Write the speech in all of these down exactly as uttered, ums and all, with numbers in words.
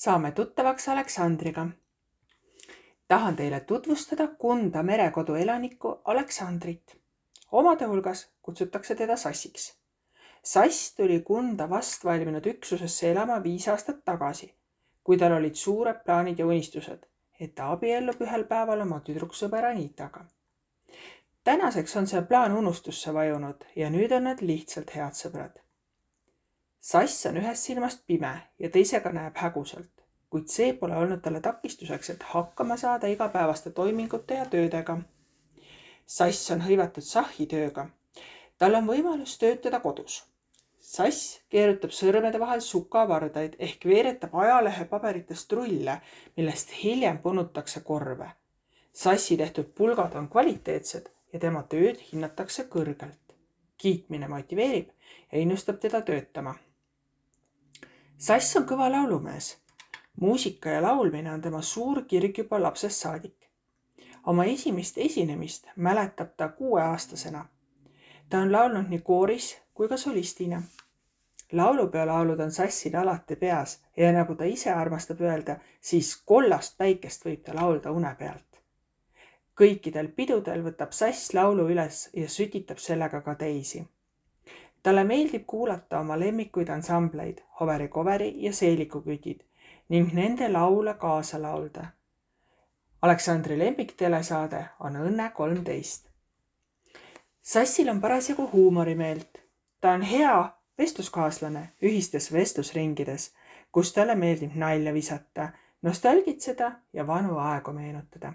Saame tuttavaks Aleksandriga. Tahan teile tutvustada Kunda merekodu elanikku Aleksandrit. Omade hulgas kutsutakse teda Sassiks. Sass tuli Kunda vast valminud üksusesse elama viis aastat tagasi, kui tal olid suured plaanid ja unistused, et ta abiellub ühel päeval oma tüdruksõber Anitaga. Tänaseks on see plaan unustusse vajunud ja nüüd on nad lihtsalt head sõbrad. Sass on ühest silmast pime ja teisega näeb häguselt, kuid see pole olnud talle takistuseks, et hakkama saada igapäevaste toimingute ja töödega. Sass on hõivatud sahhitööga. Tal on võimalus töötada kodus. Sass keerutab sõrmede vahel sukavardaid ehk veeretab ajalehe paberitest rulle, millest hiljem punutakse korve. Sassi tehtud pulgad on kvaliteetsed ja tema tööd hinnatakse kõrgelt. Kiitmine motiveerib ja innustab teda töötama. Sass on kõva laulumees. Muusika ja laulmine on tema suur kirg juba lapsest saadik. Oma esimest esinemist mäletab ta kuueaastasena. Ta on laulnud nii kooris kui ka solistina. Laulupeolaulud on Sassil alati peas ja nagu ta ise armastab öelda, siis kollast päikest võib ta laulda une pealt. Kõikidel pidudel võtab Sass laulu üles ja sütitab sellega ka teisi. Talle meeldib kuulata oma lemmikuid ansambleid, Hoveri Koveri ja Seelikukütid ning nende laule kaasa laulda. Aleksandri lemmik telesaade on Õnne kolmteist. Sassil on parasjagu huumorimeelt. Ta on hea vestluskaaslane ühistes vestlusringides, kus talle meeldib nalja visata, nostalgitseda ja vanu aegu meenutada.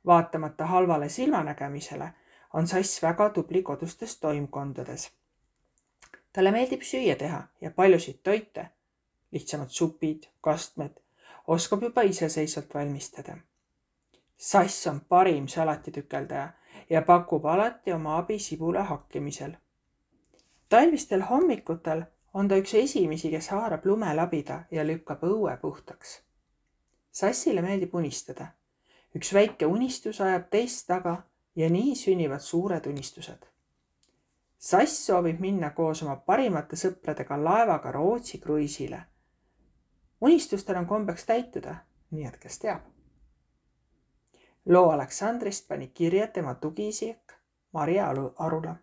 Vaatamata halvale silmanägemisele on Sass väga tubli kodustes toimkondades. Talle meeldib süüa teha ja paljusid toite, lihtsamad supid, kastmed, oskab juba iseseisvalt valmistada. Sass on parim salatitükeldaja ja pakub alati oma abi sibula hakkimisel. Talvistel hommikutel on ta üks esimesi, kes haarab lume labida ja lükkab õue puhtaks. Sassile meeldib unistada. Üks väike unistus ajab teist taga ja nii sünnivad suured unistused. Sass soovib minna koos oma parimate sõpradega laevaga Rootsi kruiisile. Unistustel on kombeks täituda, nii et kes teab. Loo Aleksandrist pani kirja tema tugiisik Maria Arula.